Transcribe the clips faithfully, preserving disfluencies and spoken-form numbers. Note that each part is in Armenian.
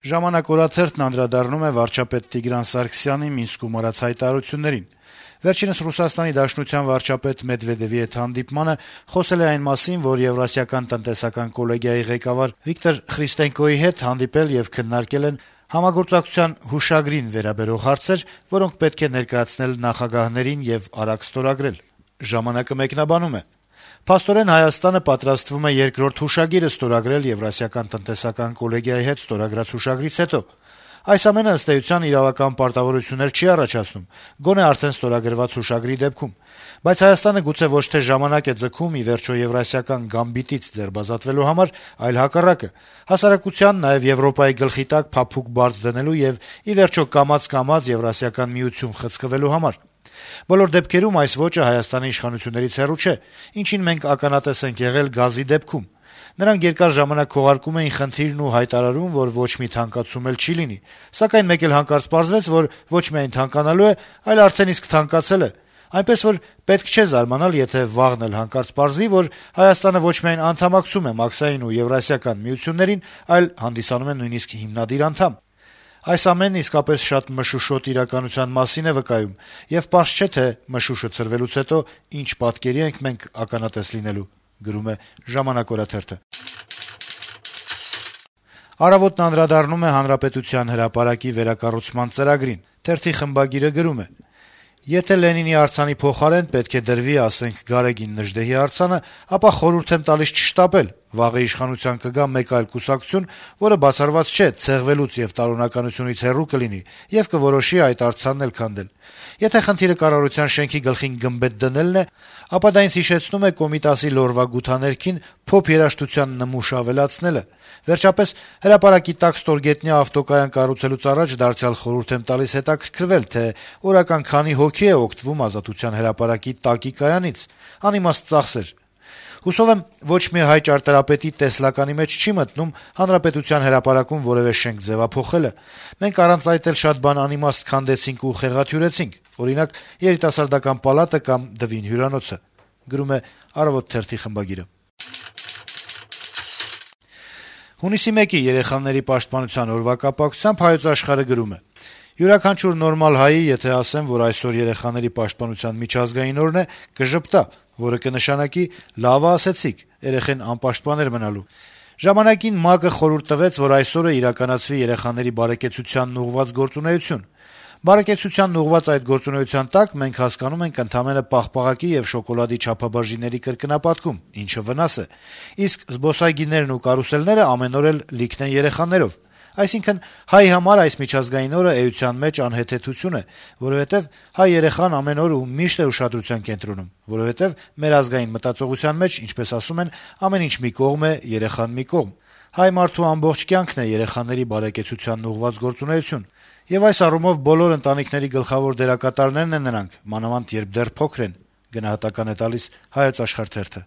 Ժամանակ օրաթերթն անդրադառնում է վարչապետ Տիգրան Սարգսյանի Մինսկում արած հայտարարություններին։ Վերջինս Ռուսաստանի Դաշնության վարչապետ Մեդվեդեւի հետ հանդիպմանը խոսել է այն մասին, որ Եվրասիական տնտեսական կոլեգիայի ղեկավար Վիկտոր Խրիստենկոյի հետ հանդիպել եւ քննարկել են համագործակցության հուշագրին վերաբերող հարցեր, որոնք պետք է ներկայացնել նախագահներին եւ արագ ստորագրել։ Ժամանակը մեկնաբանում է. Փաստորեն Հայաստանը պատրաստվում է երկրորդ հուշագիրը ստորագրել Եվրասիական տնտեսական կոլեգիայի հետ ստորագրած հուշագրից հետո։ Այս ամենը ըստ էության իրավական պարտավորություններ չի առաջացնում, գոնե արդեն ստորագրված հուշագրի դեպքում։ Բայց Հայաստանը գուցե ոչ թե ժամանակ է ձգում ի վերջո Եվրասիական գամբիտից ձերբազատվելու համար, այլ հակառակը՝ հասարակության, նաեւ Եվրոպայի գլխի տակ փափուկ բարձ դնելու եւ ի վերջո կամաց-կամաց Եվրասիական միություն խցկվելու համար։ Բոլոր դեպքերում այս ոճը Հայաստանի իշխանություններից հեռու չէ, ինչին մենք ականատես ենք եղել գազի դեպքում։ Նրանք երկար ժամանակ քողարկում էին խնդիրն ու հայտարարում, որ ոչ մի թանկացում էլ չի լինի, սակայն մեկ էլ հանկարծ պարզվեց, որ ոչ միայն թանկանալու է, այլ արդեն իսկ թանկացել է։ Այնպես որ պետք չէ զարմանալ, եթե վաղն էլ հանկարծ պարզվի, որ Հայաստանը ոչ միայն անդամակցում է Մաքսային ու Եվրասիական միություններին, այլ հանդիսանում է նույնիսկ հիմնադիր անդամ։ Այս ամենն իսկապես շատ մշուշոտ իրականության մասին է վկայում, եւ պարզ չէ, թե մշուշը ցրվելուց հետո ինչ պատկերի ենք մենք ականատես լինելու, գրում է «Ժամանակ» օրաթերթը։ «Առավոտ»-ն անդրադառնում է Հանրապետության հրապարակի վերակառուցման ծրագրին։ Թերթի խմբագիրը գրում է. - «Եթե Լենինի արձանի փոխարեն պետք է դրվի, ասենք, Գարեգին Նժդեհի արձանը, ապա խորհուրդ եմ տալիս չշտապել, վաղը իշխանության կգա մեկ այլ կուսակցություն, որը բացառված չէ ցեղվելուց եւ տարօրինականությունից հեռու կլինի եւ կորոշի այդ արձանն էլ քանդել։ Եթե խնդիրը կառավարության շենքի գլխին գմբեթ դնելն է, ապա դա ինձ հիշեցնում է Կոմիտասի լորվա գութաներքին փոփ երաժշտության նմուշ ավելացնելը։ Վերջապես, հրապարակի տակ ստորգետնյա ավտոկայան կառուցելուց առաջ դարձյալ խորհուրդ եմ տալիս հետաքրքրվել, թե օրական քանի հոգի է օգտվում Ազատության հրապարակի տակի կայանից։ Անիմաստ ծախսեր։ Հուսով եմ, ոչ մի հայ ճարտարապետի տեսլականի մեջ չի մտնում Հանրապետության հրապարակում որեւէ շենք ձեւափոխելը։ Մենք առանց այդ էլ շատ բան անիմաստ քանդեցինք ու խեղաթյուրեցինք, օրինակ, երիտասարդական պալատը կամ Դվին հյուրանոցը», գրում է «Առավոտ» թերթի խմբագիրը։ Հունիսի մեկի երեխաների պաշտպանության օրվա կապակցությամբ Հայոց Աշխարհը գրում է. - «Յուրաքանչյուր նորմալ հայի, եթե ասեմ, որ այսօր երեխաների պաշտպանության միջազգային օրն է, կժպտա, որը կնշանակի լավ ասեցիք, երեխեն անպաշտպան էր մնալու։ Ժամանակին ՄԱԿ-ը խորհուրդ տվեց, որ այսօրը իրականացվի երեխաների բարեկեցությանն ուղղված գործունեություն։ Բարեկեցությանն ուղղված այդ գործունեության տակ մենք հասկանում ենք ընդամենը պաղպաղակի եւ շոկոլադի չափաբաժինների կրկնապատկում, ինչը վնաս է, իսկ զբոսայգիներն ու կարուսելները ամեն օր էլ լիքն են երեխաներով։ Այսինքն, հայ համար այս միջազգային օրը էության մեջ անհեթեթություն է, որովհետեւ հայ երեխան ամեն օր ու միշտ է ուշադրության կենտրոնում, որովհետեւ մեր ազգային մտածողության մեջ, ինչպես ասում են, ամեն ինչ մի կողմ է, երեխան մի կողմ։ Հայ մարդու ամբողջ կյանքն է երեխաների բարեկեցությանն ուղղված գործունեություն, եւ այս առումով բոլոր ընտանիքների գլխավոր դերակատարներն են նրանք, մանավանդ երբ դեռ փոքր են», գնահատական է տալիս Հայոց Աշխարհ թերթը։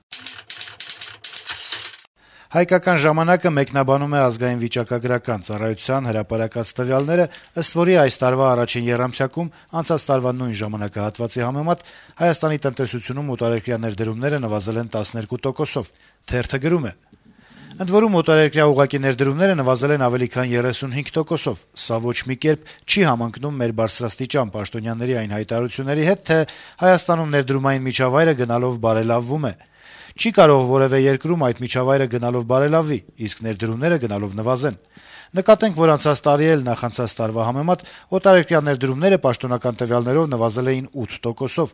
«Հայկական ժամանակ»-ը մեկնաբանում է Ազգային վիճակագրական ծառայության հրապարակած տվյալները, ըստ որի այս տարվա առաջին եռամսյակում անցած տարվա նույն ժամանակահատվածի համեմատ Հայաստանի տնտեսությունում օտարերկրյա ներդրումները նվազել են տասներկու տոկոսով։ Թերթը գրում է. - «Ընդ որում օտարերկրյա ուղղակի ներդրումները նվազել են ավելի քան երեսունհինգ տոկոսով։ Սա ոչ մի կերպ չի համընկնում մեր բարձրաստիճան պաշտոնյաների այն հայտարարությունների հետ, թե Հայաստանում ներդրումային միջավայրը գնալով բարելավվում է։ Չի կարող որեւէ երկրում այդ միջավայրը գնալով բարելավվի, իսկ ներդրումները գնալով նվազեն։ Նկատենք, որ անցած տարի էլ նախանցած տարվա համեմատ օտարերկրյա ներդրումները պաշտոնական տվյալներով նվազել էին ութ տոկոսով։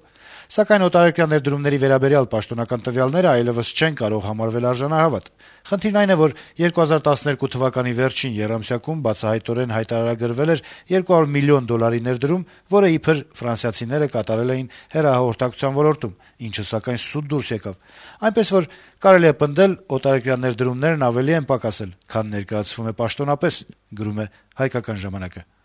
Սակայն օտարերկրյա ներդրումների վերաբերյալ պաշտոնական տվյալները այլեւս չեն կարող համարվել արժանահավատ։ Խնդիրն այն է, որ երկու հազար տասներկու թվականի վերջին եռամսյակում բացահայտորեն հայտարարագրվել էր երկու հարյուր միլիոն դոլարի ներդրում, որը իբր ֆրանսիացիները կատարել էին հեռահաղորդակցության ոլորտում, ինչը սակայն սուտ դուրս եկավ։ Այնպես որ կարելի է պնդել, օտարերկրյա ներդրումներն ավելի են պակասել, քան ներկայացվում է պաշտոնապես», գրում է «Հայկական ժամանակ»-ը։